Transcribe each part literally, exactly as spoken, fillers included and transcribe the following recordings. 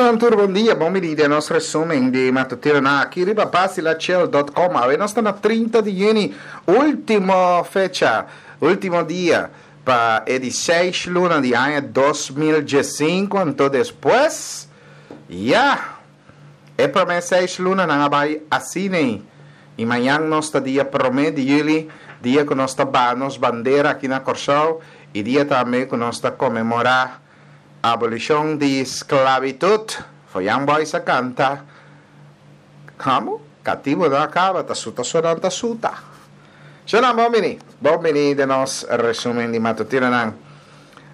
Shon tur, bon dia, bon bini den nos resumen di matutino na aki riba Basilachel punto com. Awe nos ta na trinta di yüni, último fecha, último dia pa e di seis luna di aña dos mil diesinku. Anto despues, ya, e promé seis lunanan a bai asina. I mañan nos ta dia promé di yüli, dia ku nos ta baha nos bandera aki na Kòrsou i dia tambe ku nos ta konmemorá abolishon di sklabitut. Foyan Boys a kanta, Kamo? Katibu no a kaba, ta suta sonan ta suta. Shona, bon bini. Bon bini den nos resumen di matutinonan.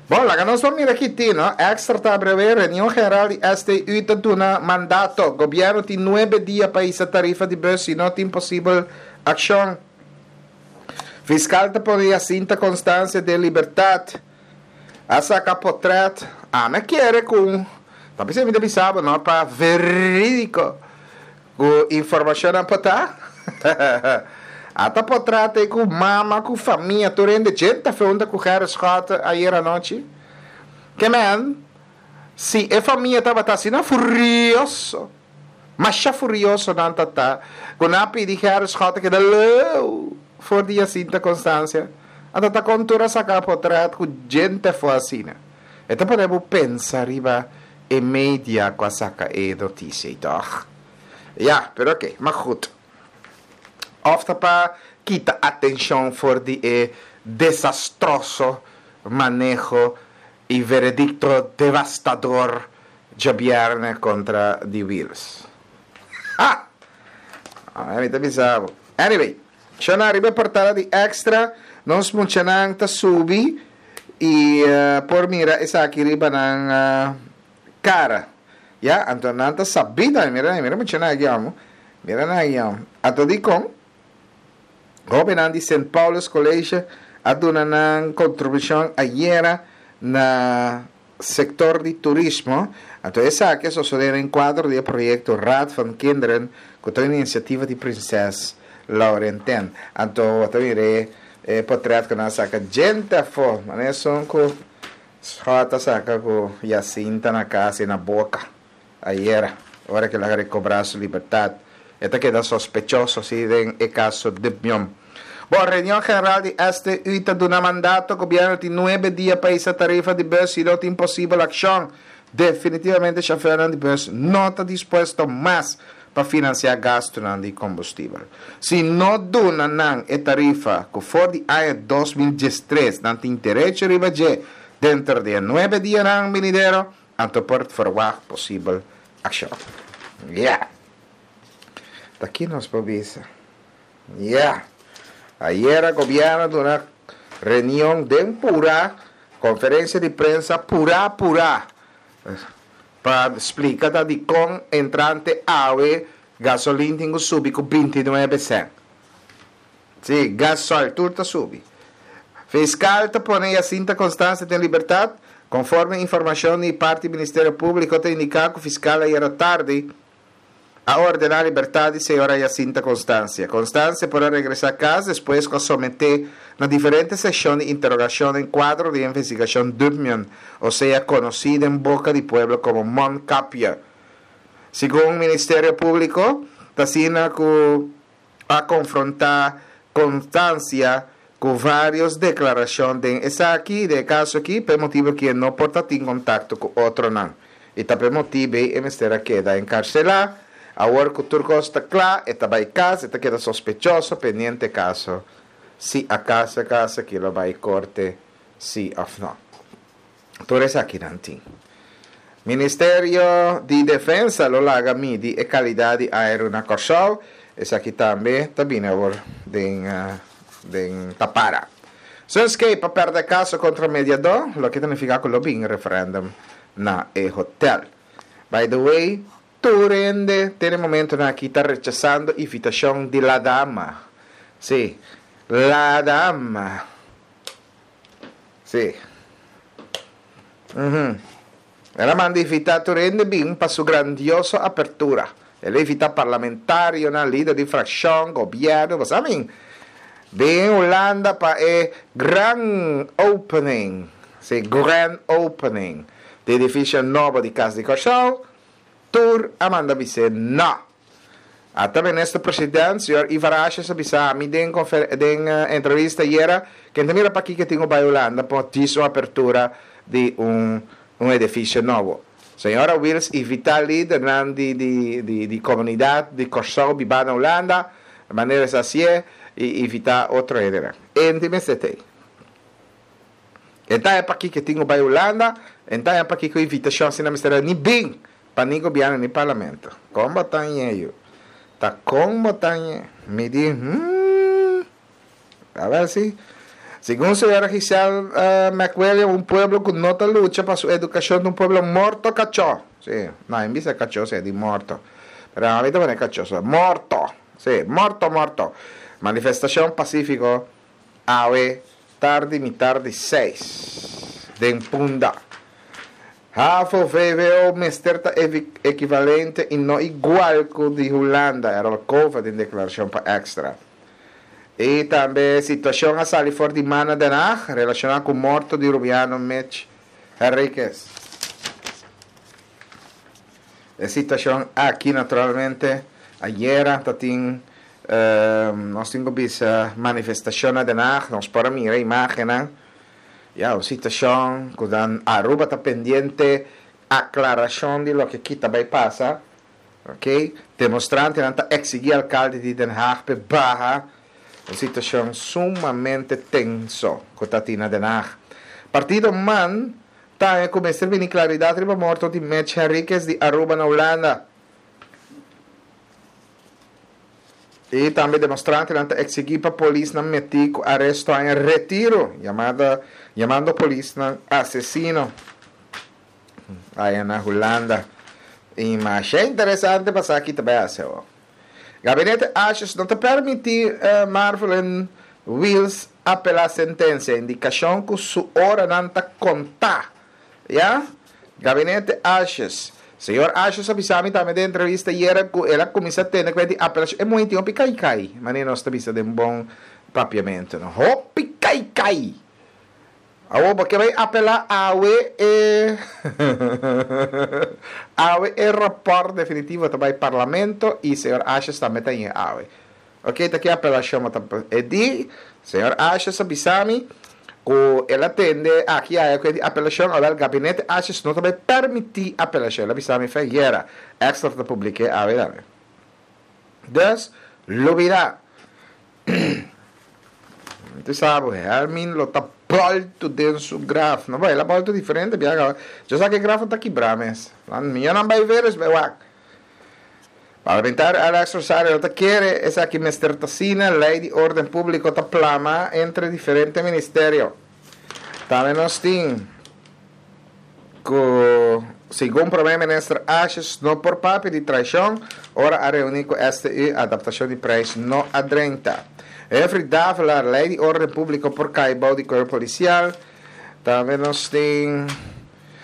Bon, laga nos ban mira ki tin, no? Extra ta abreve, reunion general di S T U ta duna mandato. Gobièrnu tin nuebe dia pa hisa tarifa di bus, si no tin posibel akshon. Fiskal ta pone Jacinta Constancia den libertat. A saka potrèt. Ami a kere ku ta bisa mi ta bisa bo no pa verídiko ku informashonnan por ta. Ata potrèt ei ku mama ku famia tur hende djenta fe hunta ku Gerrit Schotte ayer anochi. Ke men si e famia tabata asina furioso, masha furioso nan ta ta, ku nan a pidi Gerrit Schotte keda leu for di Jacinta Constancia. Anto ta kon tur a saka potrèt ku djente afó asina? E ta pone bo pensa riba e media ku a saka e notisia ei, tòg? Ya, pero oke, ma gut. Òf ta pa kita atenshon for di e desastroso maneho i veredikto devastador djabièrnè kontra di Wiels. Ha! Mi ta bisa bo. Anyway, shona riba e portada di Extra, nos muchanan ta subi i por mira esaki riba nan kara. Ya, anto nan ta sabí tambe. Mira nan, mira muchanan aki amo. Mira nan aki amo. Anto dikon? Hóbennan di Sint Paulus College a duna nan kontribushon ayera na sektor di turismo. Anto esaki a sosodé den kuadro di e proyekto Raad van Kinderen ku ta un inisiativa di Prinses Laurentien. Anto bo ta mira e potret ku nan a saka djente afó, manera esun ku Schot a saka ku Jacinta na kas i na boka ayera ora ku el a rekobrá su libertat. E ta keda sospechoso si den e kaso Dubmion. Bon, reunion general di S T U ta duna mandato, gobièrnu tin nuebe dia pa hisa tarifa di bus si no tin posibel akshon. Definitivamente shofèrnan di bus no ta dispuesto mas pa finansiá gastunan di kombustibel. Si no duna nan e tarifa ku for di aña dos mil diestres nan tin derecho riba dje denter di e nuebe dianan binidero, anto por ferwagt posibel akshon. Ya. Ta ki nos por bisa? Ya. Ayera gobièrnu a duna reunion den purá, konferensia di prensa purá purá, pa splika ta dikon entrante awe gasolin tin ku subi ku binti nuebe sènt. Sí, gasoil tur ta subi. Fiskal ta pone Jacinta Constancia den libertat. Konforme informashon di parti Ministerio Públiko ta indiká ku fiskal ayera tardi a ordená libertat di señora Jacinta Constancia. Constancia por a regresá kas despues ku a someté na diferente seshon di interogashon den kuadro di e investigashon Dubmion, osea konosí den boka di pueblo komo Mondkapje. Segun Ministerio Públiko, ta asina ku a konfrontá Constancia ku vários deklarashon den esaki, den e kaso aki, pa e motibu ku e no por ta tin kontakto ku otronan. I ta pa e motibu ei e mester a keda enkarselá. Awor ku tur kos ta kla, e ta bai kas, e ta keda sospechoso pendiente e kaso si akaso e kaso aki lo bai korte si òf no. Tur esakinan tin. Ministerio di Defensa lo laga midi e kalidat di airu na Kòrsou. Esaki tambe ta bini awor den den tapara. Sunscape a pèrdè kaso kontra mediadó, loke ta nifiká ku lo bin referèndum na e hotèl. By the way, tur hende te na e momentunan aki ta rechasando invitashon di La Dama. Sí, La Dama. Sí. Uhum. El a manda invitá tur hende bin pa su grandioso apertura. El a invitá parlamentarionan, lider di frakshon, gobièrnu, bo sa min. Bin Hulanda pa e gran opening, sí, grand opening di edifisio nobo di Kas di Kòrsou. Tur a manda bis'é no. Ata minister president, señor Ivar Asjes a bisa mi den den entrevista ayera, ku ta mira pakiko tin ku bai Hulanda pa djis un apertura di un un edifisio nobo. Señora Wiels i Vitali, lidernan di di di di komunidat di Kòrsou bibá na Hulanda, manera asina i invitá otro hende. Enti mester t'ei. Anto ta pakiko tin ku bai Hulanda, anto ta pakiko invitashon asina mester ni bin pa ni gobièrnu ni parlamento. Kon bo ta yu? Ta kon bo ta Mi di, hmm, a ber si. Segun señora Giselle uh, McWilliam, un pueblo ku no ta lucha pa su edukashon, un pueblo morto kachó. Si, no, en bes di kachó, si, di morto. Pero ami ta pone kachó, so, morto. Si, morto, morto. Manifestashon pasífiko, awe, tardi, mitar di seis. Den Punda. Havo V W O mester ta ekivalente i no igual ku di Hulanda, Errol Cova den deklarashon pa Extra. I tambe situashon a sali for di man na Den Haag, relashoná ku morto di Rubiano Mitch Henriquez. E situashon aki, naturalmente, ayera tabatin uh, nos tin visto manifestashon na Den Haag, nos por mira imágen, ya, un situashon ku Aruba ta pendiente aklarashon di loke ta bai pasa, ok? Demonstrantenan ta eksigí alkalde di Den Haag pa baha, un situashon sumamente tenso ku tin na Den Haag. Partido MAN ta kuminsá bini klaridat riba morto di Mitch Henriquez di Aruba na Hulanda. I tambe demonstrantenan ta eksigí pa polisnan mete ku aresto na Retiro, yamada, yamando polisnan asesino. Aya na Hulanda. I mas interesante pasa aki tambe asina. Gabinete Asjes no ta permití uh, Marvelyne Wiels apelá sentensia, indikashon ku su oranan ta kontá. Ya? Gabinete Asjes. Señor Asjes a bisa mi tambe den entrevista ayera ku el a kuminsá tende ku apelashon. E muhé hopi kai kai. Manera nos ta bisa den bon papiamentu. No? Hopi kai kai. Awo, pasobra bai apelá awe e awe e rapòrt definitivo ta bai parlamento i señor Asjes tambe ta awe. Ok, ta aki apelashon e di señor Asjes a bisa mi ku el a tende aki e ku apelashon, awor gabinete Asjes no ta bai permití apelashon. El a bisa mi ayera. Extra ta publiká awe tambe. Dus, lubidá. Bo sabi, Helmin lo ta bòltu den su graf. No bai, el a bòltu diferente, biaha. Ya sa ku e graf ta kibrá mes. Mi no bai wak, bai wak. Parlamentario Alex Rosario ta kere esaki mester t'asina, lei di órden públiko ta plama entre diferente ministerio. Tambe nos tin ku segun promé minister Asjes no por papia di traishon, ora a reuní ku S T U, adaptashon di preis no a drenta. Jeffrey Davelaar, lei di órden públiko por kai bou di kuerpo polisial. Tambe nos tin,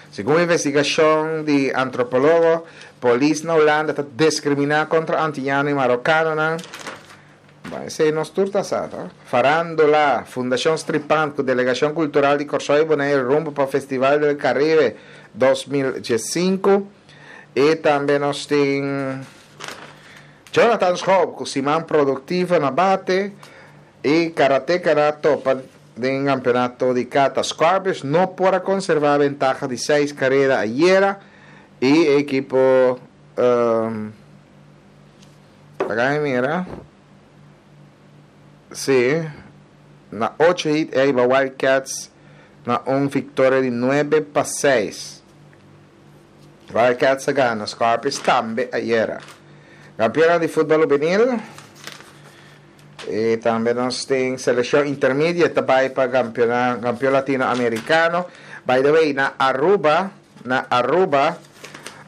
segun investigashon di antropólogo, polis na Hulanda ta diskriminá kontra antiano i marokano. Bon, esei nos tur ta sa? Farándula, Fundashon Stripan, ku Delegashon Kultural di Kòrsou i Boneiru rumbo pa Festival del Caribe dos mil diesinku. I tambe nos tin Jonathan Schoop, ku siman produktivo na bate i karateka topa den kampeonato di kata. Scorpions no por a konservá ventaha di seis karera ayera i ekipo um, aki mira. Si, na ocho hit ei Wildcats na un viktoria di nuebe pa seis. Wildcats a gana Scorpions tambe ayera. Kampeon di futbòl hubenil. I tambe nos tin selekshon intermedio tambe pa kampeon, kampeon latinoamerikano. By the way, na Aruba, na Aruba,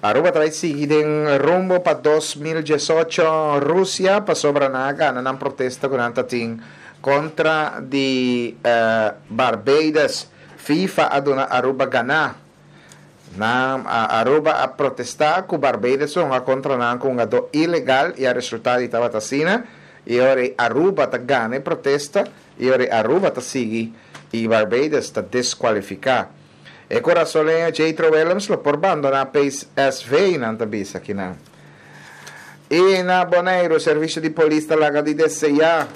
Aruba ta sigui den rumbo pa dos mil diesocho Rusia, pasobra nan a gana nan protesta ku nan tin kontra di uh, Barbados. FIFA a duna Aruba gana. Na Aruba a protestá ku Barbados a kontra nan ku un ilegal i e resultado tabata asina i awor Aruba ta gana e protesta i awor Aruba ta sigui i Barbados ta deskualifiká. E kurasoleño Jetro Willems lo por bandoná P S V, nan ta bisa akinan. I na Boneiru, servisio di polis ta laga di deseá.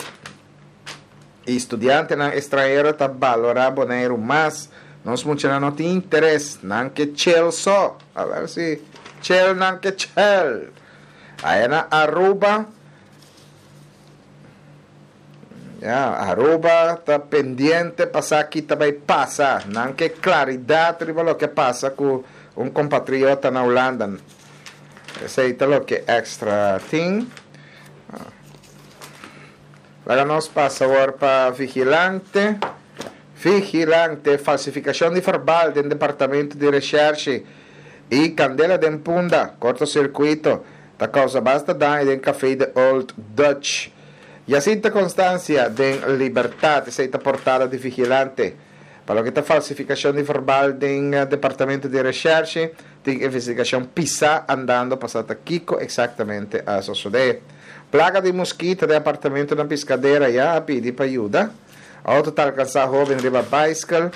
E studiantenan estranhero ta balorá Boneiru mas. Nos muchanan no tin interes, nan ke chill so. A ber si chill nan ke chill. Ei na Aruba, ya, Aruba ta pendiente pa sa kiko ta bai pasa. Nan ke klaridat riba loke a pasa ku un kompatriota na Hulanda. Esei ta loke Extra tin. Laga nos pasa awor pa Vigilante. Vigilante, falsifikashon di verbal den departamento di recherche i kandela den Punda, kortosirkuito, ta kousa basta daño den Café de Old Dutch. Jacinta Constancia den libertat, esei ta portada di Vigilante. Pa loke ta falsifikashon di verbal den departamento di recherche, tin investigashon pisá andando pa sa kiko eksaktamente a sosodé. Plaga di muskito den apartamento na Piscadera ya a pidi pa yuda. Outo ta alkansá hóben riba baiskel.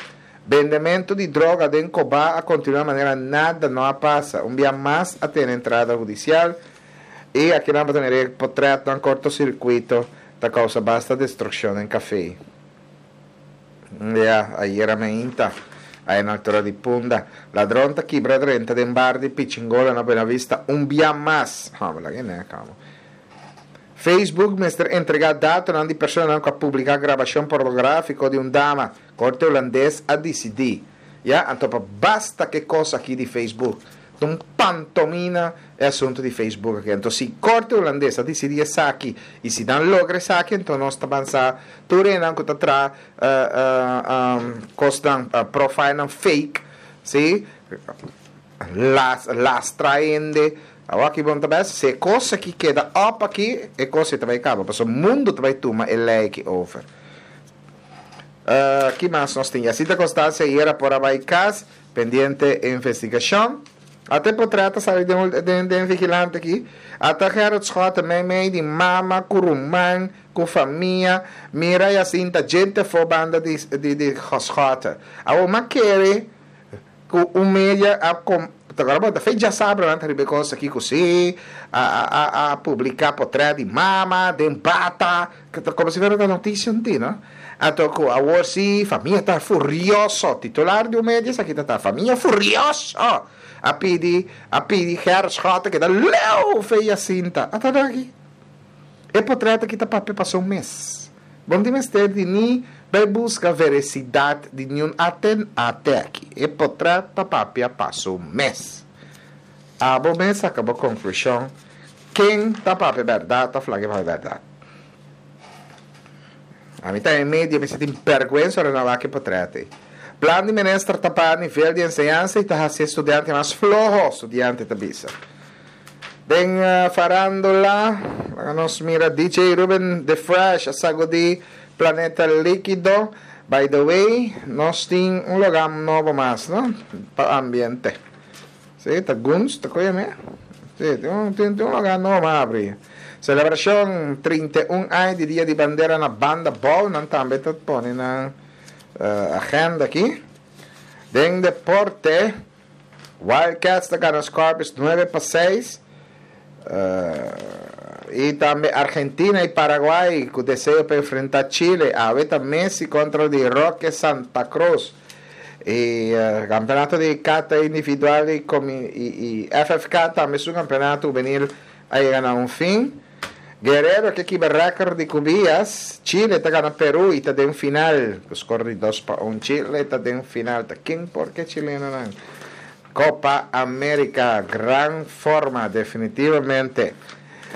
Bendementu di droga den Cobá a kontinuá manera nada no a pasa. Un dia mas a tene entrada hudisial. I aki nan ta mira portrèt un kortosirkuito ta kousa basta destrukshon den kafé. Ya, ayera mainta. Ei na altura di Punda. Ladron ta kibra drenta den bar di Pichingola na Buena Vista un dia mas. Ah, ma ne, kalma. Facebook mester entregá dato di persona ku a publiká grabashon pornográfiko di un dama. Korte hulandes a disidí. Ya, anto basta ku kos aki di Facebook. Un pantomina e asuntu di Facebook aki. Anto, si korte hulandes a disidí esaki i si nan logra esaki, anto nos ta avansá tur ku ta tra uh, uh, um, kosnan uh, profile fake, si? Las lastra hende. Awor aki bon tambe, si kos aki keda op aki, e kos ta bai kaba, pasobra mundu ta bai tuma e lei over. Uh, ki mas nos tin? Jacinta Constancia ayera por a bai kas, pendiente investigashon. Ata portrèt a sali den, den, den Vigilante aki. Ata Gerrit Schotte, mei mei di mama, ku ruman, ku famia. Mira Jacinta, gente for banda di, di, di Schotte. Awor m'a kere, ku un media a kom, awor bon, fe djasabra nan riba kos aki ku si a a a publiká portrèt di mama, den bata, ku komo si fuera notisia anto, no? Anto ku awor si famia ta furioso, titular di un media aki ta famia furioso. A pidi, a pidi Gerrit Schotte keda leu fo'i Jacinta. Ata aki. E portrèt aki ta papia pasa un mes. Bon di mester di ni bai buska verasidat di ningun aten ate aki. E portrèt ta papia pasa un mes. Abo mes saka bo konklushon. Ken ta papia berdat, ta flag'é papia berdat. Ami ta den media, mi tin bèrgwensa ora wak e portrèt. Plan di minister ta pa nivel di enseñansa i ta hasi studiante mas floho, studiante ta bisa. Den uh, farándula, nos mira D J Ruben The Fresh, a sagudí Planeta Líkido. By the way, nos tin un lugá nobo mas, no? Pa ambiente. Si, ta Guns, ta koyo me? Si, tin un, tin, tin un lugá nobo mas habrí. Selebrashon trinta i un aña di Dia di Bandera na Banda Bou, nan tambe ta pone na uh, agenda aki. Den deporte, Wildcats ta gana Scorpions nuebe pa seis. Uh, i tambe Argentina i Paraguay ku deseo pa enfrentá Chile. Awe ta Messi kontra di Roque Santa Cruz. I uh, kampeonato di kata individual i, i, i F F K tambe su kampeonato hubenil a yega na un fin. Guerrero ke kibra rékòrt di Cubillas. Chile ta gana Peru i ta den final. Score di dos pa un. Chile ta den final. Ta ken por ke chilenonan? Copa América, gran forma, definitivamente.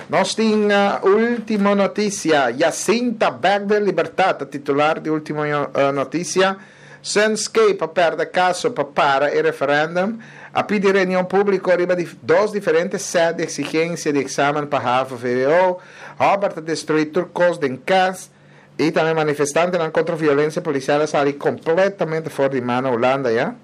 Nos tin uh, Último Notisia. Jacinta bèk den libertat, titular di Último uh, Notisia. Sunscape a pèrdè kaso pa para e referendum. A pidi reunion públiko riba di dos diferente sèt di eksigensia di eksamen pa HAVO V W O. Robert a destruí tur kos den kas. I tambe manifestantenan kontra violensia polisial a sali kompletamente for di man na Hulanda, ya?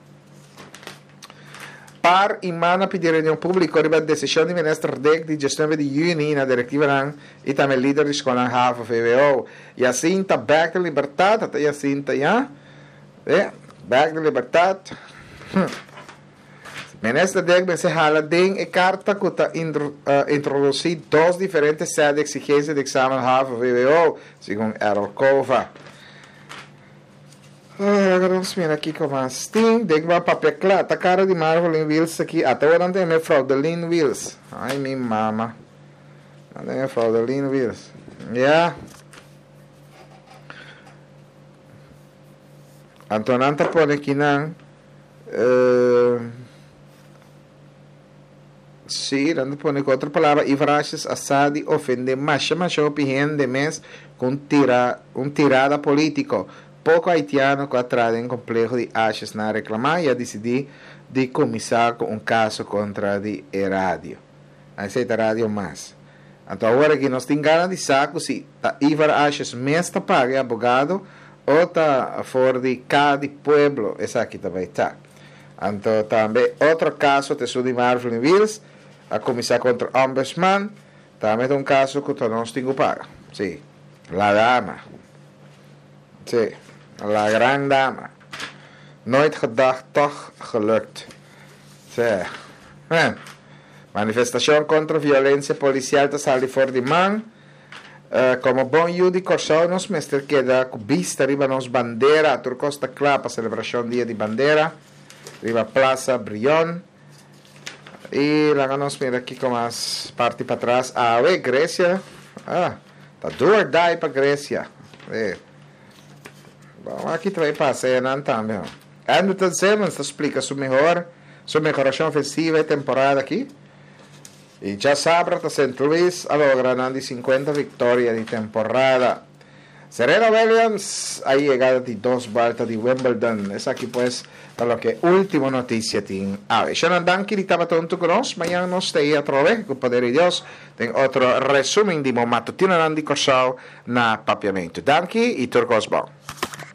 PAR i MAN a pidi reunion públiko riba desishon di minister Dick di diesnuebe di yüni na direktivanan i tambe lider di skol HAVO V W O. Jacinta bèk den libertat, ata Jacinta ya. E, bèk den libertat. Minister Dek mester hala den e karta ku ta introdusí dos diferente sèt di eksigensia di eksamen havo V W O, segun Errol Cova. Awor nos mira kiko mas tin. Dek ba papia kla. Ta kara di Marvelyn Wiels aki. Ata awor nan tin Fraudeline Wiels. Ai, mi mama. Nan tin Fraudeline Wiels. Ja. Anto nan ta pone aki nan. Uh, sí, nan ta pone ku otro palabra Ivar Asjes a sa di ofende masha masha hopi hende mes ku un tira un tirada politiko. Poko haitiano ku a traha den kompleho di Asjes nan a reklamá i a disidí di kuminsá ku un kaso kontra di e radio. Esei ta Radio Mas. Anto awor aki nos tin gana di sa ku si ta Ivar Asjes mes ta paga e abogado o ta for di ka di pueblo esaki ta bai ta. Anto tambe otro kaso ta esun di Marvin Wiels a kuminsá kontra Ombudsman. Tambe ta un kaso ku ta nos tin ku paga. Sí. La dama. Sí. La gran dama. Nooit gedacht, toch gelukt. Sí. Eh. Manifestashon kontra violensia polisial ta sali for di man. Komo bon yu di Kòrsou nos mester keda ku bista riba nos bandera. Tur kos ta kla pa selebrashon Dia di Bandera riba Plaza Brion. I laga nos mira kiko mas parti patras awe. Grecia, ah, ta do or die pa Grecia. E. Bon, aki ta bai pasa enan tambe. Andrelton Simmons ta splika su mehor su mehorashon ofensivo e temporada aki. I djasabra ta Sint Louis a logra nan di sinkuenta viktoria di temporada. Serena Williams a yega di dos buelta di Wimbledon. Esaki pues ta loke ultimo notisia tin awe. Shonan, danki di tabata huntu ku nos. Mañan nos ta ei atrobe ku poder di Dios den otro resumen di bo matutinonan di Kòrsou na Papiamentu. Danki i tur kos bon.